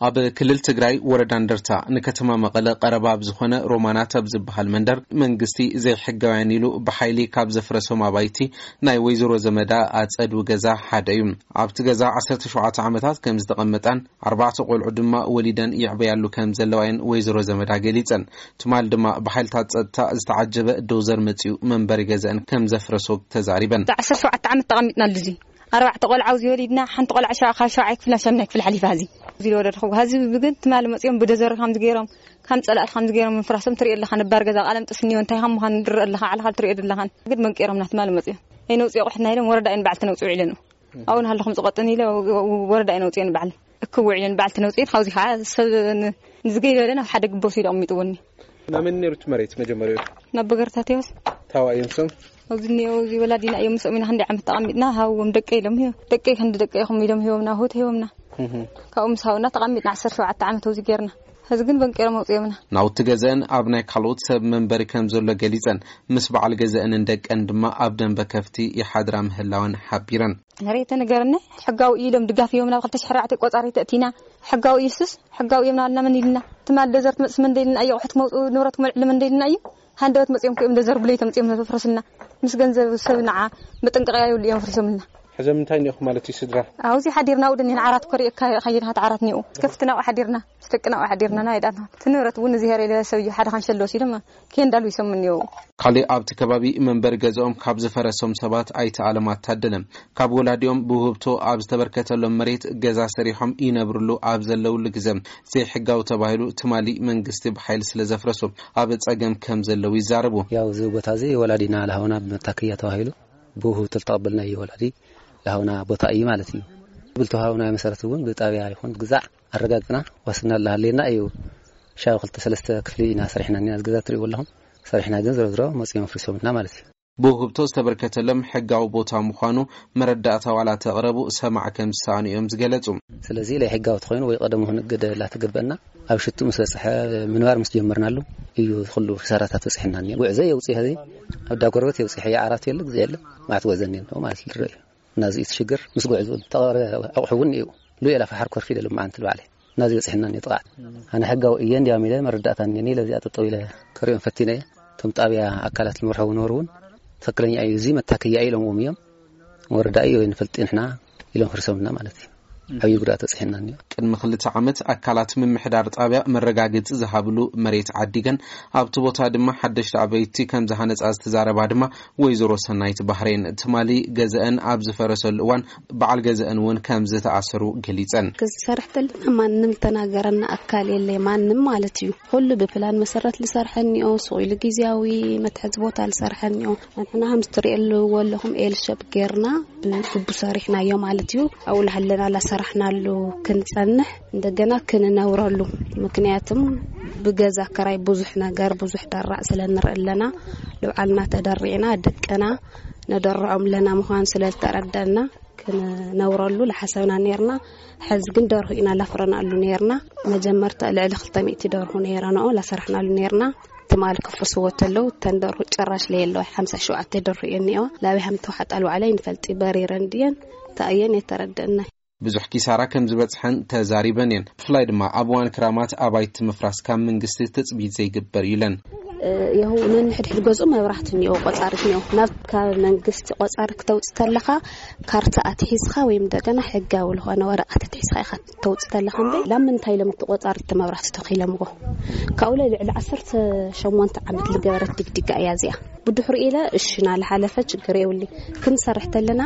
ኣብ ክልል ትግራይ ወረዳ እንደርታ ንከተማ መቐለ ቀረባ ኣብ ዝኾነ ሮማናት ኣብ ዝበሃል መንደር መንግስቲ ዘይሕጋውያን ኢሉ ብሓይሊ ካብ ዘፍረሶም ኣባይቲ ናይ ወይዘሮ ዘመዳ ኣጸዱ ገዛ ሓደ እዩ። ኣብቲ ገዛ ዓሰርተ ሸውዓተ ዓመታት ከም ዝተቐመጣን ኣርባዕተ ቆልዑ ድማ ወሊደን ይዕበያሉ ከም ዘለዋየን ወይዘሮ ዘመዳ ገሊጸን። ትማል ድማ ብሓይልታት ጸጥታ ዝተዓጀበ ዶዘር መጺኡ መንበሪ ገዛን ከም ዘፍረሶ ተዛሪበን። ዓሰርተ ሸውዓተ ዓመት ተቐሚጥና ኣሉዚ ኣርባዕተ ቆልዓ ኣብዚ ወሊድና ሓንቲ ቆልዓ ሸ- ካብ ሸውዓይ ክፍላ ሻምናይ ክፍል ሓሊፋ እዚ እዚ ዝወለድኹ ሀዚ ግን ትማል መጺኦም ብደዘር ከምዚ ገይሮም ከም ጸላእቲ ከምዚ ገይሮም ምፍራሶም ትሪኦ ኣለኻ። ነባር ገዛ ቃለም ጥስኒዮ እንታይ ከም ምዃኑ ንድረእ ኣለኻ። ዓለኻ ትሪኦ ኣለኻ። ግን መንቂሮምና ትማል መጺኦም ኣይነውፅዮ ቁሕትና ኢሎም ወረዳ እየን በዓልቲ ነውፅኡ ኢለን ኣብኡ ንሃለኹም ዝቐጥን ኢለ ወረዳ እየን ኣውፅየን በዓል እክው ኢለን በዓልቲ ነውፅየን ካብዚ ከዓ ሰብ ንዝገይበለ ናብ ሓደ ግቦ ሲሉ ኣቕሚጥዎኒ። ናመን ነይሩ እቲ መሬት መጀመሪያ? ናብ በገርታት እዮስ። ታዋ እዮም ሰም? ኣብዚ እኒኦ እዚ ወላዲና እዮም ምስኦም ኢና ክንደይ ዓመት ተቐሚጥና ሃዎም ደቀ ኢሎም ሂቦም ደቀ ክንዲ ደቀ ኢኹም ኢሎም ሂቦምና ሆት ሂቦምና ካብኡ ምስ ሃውና ተቐሚጥና ዓሰርተ ሸውዓተ ዓመት ኣብዚ ጌርና። ሕዚ ግን በንቂሮም ኣውፅኦምና። ናውቲ ገዘአን ኣብ ናይ ካልኦት ሰብ መንበሪ ከም ዘሎ ገሊፀን፣ ምስ በዓል ገዘአንን ደቀን ድማ ኣብ ደንበ ከፍቲ ይሓድራ ምህላወን ሓቢረን። ነሬተ ነገርና ሕጋዊ እዩ ኢሎም ድጋፍ እዮም ናብ ክልተ ሽሕን ኣርባዕተ ቆፃሪ ተእቲና። ሕጋዊ እዩ ሱስ ሕጋዊ እዮም ናልና መን ኢልና? ትማል ደዘር ትመፅስ መን ደይልና እዩ ኣቑሑት መውፅኡ ንብረት ክመልዕሉ መን ደይልና እዩ? ሃንደበት መፅኦም ክእም ደዘር ብለይ ተምፅኦም ነፍረስልና ምስ ገንዘብ ሰብ ንዓ መጠንቀቕያ ይብሉ እዮም ፍሪሶምልና። ሕዘ ምንታይ እኒኹ ማለት እዩ ስድራ? ኣብዚ ሓዲርና ውድን ዓራት ኮሪእ ካየድካ ዓራት ኒኡ ከፍትና ሓዲርና ምስ ደቅና ሓዲርና ናይ ዳና ትንብረት እውን እዚ ሄረ ኢለ ሰብ እዩ ሓደ ካንሸሎ ሲሎም ከንዳሉ ይሰሙ እኒው። ካልእ ኣብቲ ከባቢ መንበሪ ገዛኦም ካብ ዝፈረሶም ሰባት ኣይተ ኣለም ኣታደለም ካብ ወላዲኦም ብውህብቶ ኣብ ዝተበርከተሎም መሬት ገዛ ሰሪሖም ይነብርሉ ኣብ ዘለውሉ ግዘ ዘይሕጋዊ ተባሂሉ ትማሊ መንግስቲ ብሓይሊ ስለ ዘፍረሶ ኣብ ጸገም ከም ዘለዉ ይዛረቡ። ያው እዚ ቦታ እዚ ወላዲና ለሃውና መታከያ ተባሂሉ ብውህብቶ ዝተቐበልናዮ ወላዲ ለሃውና ቦታ እዩ ማለት እዩ። ብልተዋሃብናዮ መሰረት እውን ብጣብያ ይኹን ግዛዕ ኣረጋግፅና ዋስትና እናሃለየና እዩ። ሻብ ክልተ ሰለስተ ክፍሊ ኢና ሰሪሕና እኒና፣ እዚ ገዛ ትሪእዎ ኣለኹም ሰሪሕና፣ ግን ዝሮ ዝሮ መፂኦም ኣፍሪሶምልና ማለት እዩ። ብውህብቶ ዝተበርከተሎም ሕጋዊ ቦታ ምዃኑ መረዳእታ ዋላ ተቕረቡ ሰማዕ ከም ዝሰኣኑ እዮም ዝገለጹ። ስለዚ ለይ ሕጋዊ ተኾይኑ ወይ ቀደሙ ክንእገደ ላተገበአና ኣብ ሽቱ ምስ በፅሐ ምንባር ምስ ጀመርናሉ እዩ ኩሉ ክሳራታት በፅሐና እኒኦ። ጉዕዘ የውፅእ ኸዚ ኣብ ዳጎርበት የውፅእ የዓራት የለ ግዜ የለ ማዕት ጉዕዘ እኒኦ ማለት ዝረአ እዩ። ናዚ እቲ ሽግር ምስ ጉዕዝኡ ተቐረ ኣቑሑ እውን እዩ። ሉኤላ ፈሓር ኮርፊ ደሉ መዓንቲ ልባዕለ ናዚ በፅሕና እኒኦ ጥቓዓት። ኣነ ሕጋዊ እየ እንዲያም ኢለ መረዳእታ እኒኒ ለዚኣ ጠጠው ኢለ ከሪኦም ፈቲነ እየ። እቶም ጣብያ ኣካላት ልምርሐው ነበሩ እውን ትኽክለኛ እዩ እዚ መታከያ ኢሎምዎም እዮም። ወረዳ እዩ ወይ ንፈልጥ ንሕና ኢሎም ፍርሶምና ማለት እዩ። ዓብዪ ጉድኣት በፅሕና እኒኦ። ቅድሚ ክልተ ዓመት ኣካላት ምምሕዳር ጣብያ መረጋገፂ ዝሃብሉ መሬት ዓዲገን ኣብቲ ቦታ ድማ ሓደሽቲ ኣበይቲ ከም ዝሃነፃ ዝተዛረባ ድማ ወይዘሮ ሰናይት ባህሬን ትማሊ ገዘአን ኣብ ዝፈረሰሉ እዋን በዓል ገዘአን እውን ከም ዝተኣሰሩ ገሊፀን። ክሰርሕ ተለና ማንም ተናገረና ኣካል የለ ማንም ማለት እዩ። ኩሉ ብፕላን መሰረት ልሰርሐ እኒኦ ስቕ ኢሉ ግዜያዊ መትሐዚ ቦታ ልሰርሐ እኒኦ። ንሕና ከም ዝትሪእሉ ወለኹም ኤልሸብ ጌርና ብግቡ ሰሪሕናዮ ማለት እዩ። ኣብኡ ላሃለና ላሰራሕናሉ ክንጸንሕ እንደገና ክንነብረሉ ምክንያቱም ብገዛ ክራይ ብዙሕ ነገር ብዙሕ ደራዕ ስለ ንርኢ ኣለና። ልብዓልና ተደሪዕና ደቅና ነደርዖም ኣለና ምዃኑ ስለ ዝተረደእና ክንነብረሉ ዝሓሰብና ነርና። ሕዚ ግን ደርሁ ኢና ላፍረናሉ ነርና። መጀመርታ ልዕሊ ክልተ ሚእቲ ደርሁ ነይረንኦ ላሰራሕናሉ ነርና። ትማል ክፍርስዎ ተለው እተን ደርሁ ጭራሽ ለየለዋ ሓምሳ ሸውዓተ ደርሁ እየ እኒኦ ላበይ ሃም ተዋሓጣ ልባዕለ ይንፈልጢ በሪረን ድየን ተኣየን የተረደእና። ብዙሕ ኪሳራ ከም ዝበፅሐን ተዛሪበን እየን። ብፍላይ ድማ ኣብ እዋን ክራማት ኣባይቲ ምፍራስ ካብ መንግስቲ ትፅቢት ዘይግበር እዩ ኢለን። የው ነንሕድሕድ ገዝኡ መብራህቲ እኒኦ ቆፃሪት እኒኦ ናብ ካብ መንግስቲ ቆፃሪ ክተውፅ ተለኻ ካርታ ኣትሒዝኻ ወይም እንደገና ሕጋዊ ዝኾነ ወረቐት ኣትሒዝኻ ኢኻ ተውፅ ተለኻ እምበይ ላብ ምንታይ ኢሎም እቲ ቆፃሪ እቲ መብራህቲ ተኺሎምዎ ካብኡ ልዕሊ ዓሰርተ ሸሞንተ ዓመት ዝገበረት ድግዲጋ እያ እዚኣ። ብድሕሪኡ ኢለ እሺ ናልሓለፈ ችግር የብሉ ክንሰርሕ ተለና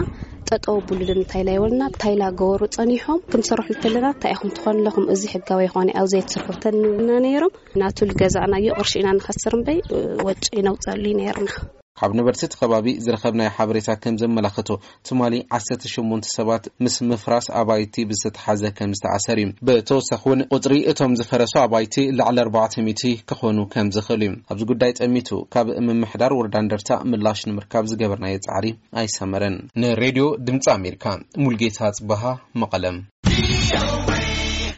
ጠጠው ብሉ ንምንታይ ላ ይበሉና እንታይ ላ ገበሩ ጸኒሖም ክንሰርሑ ተለና እንታይ ኢኹም ትኾኑ ኣለኹም እዚ ሕጋዊ ይኾነ ኣብዚ ኣይትስርሑ ተንብሉና ነይሮም። ናቱ ልገዛእናዮ ቅርሺ ኢና ንኸስር እምበይ ወጪ ነውፀሉ ነይርና። ካብ ነበርቲ እቲ ከባቢ ዝረኸብናዮ ሓበሬታ ከም ዘመላኽቶ ትማሊ ዓሰርተ ሸሞንተ ሰባት ምስ ምፍራስ ኣባይቲ ብዝተተሓዘ ከም ዝተኣሰር እዩ። ብተወሳኺ እውን ቁፅሪ እቶም ዝፈረሱ ኣባይቲ ልዕሊ ኣርባዕተ ሚእቲ ክኾኑ ከም ዝኽእሉ እዩ። ኣብዚ ጉዳይ ጠሚቱ ካብ ምምሕዳር ወረዳ እንደርታ ምላሽ ንምርካብ ዝገበርናዮ ፃዕሪ ኣይሰመረን። ንሬድዮ ድምፂ ኣሜሪካ ሙልጌታ ፅበሃ መቐለም።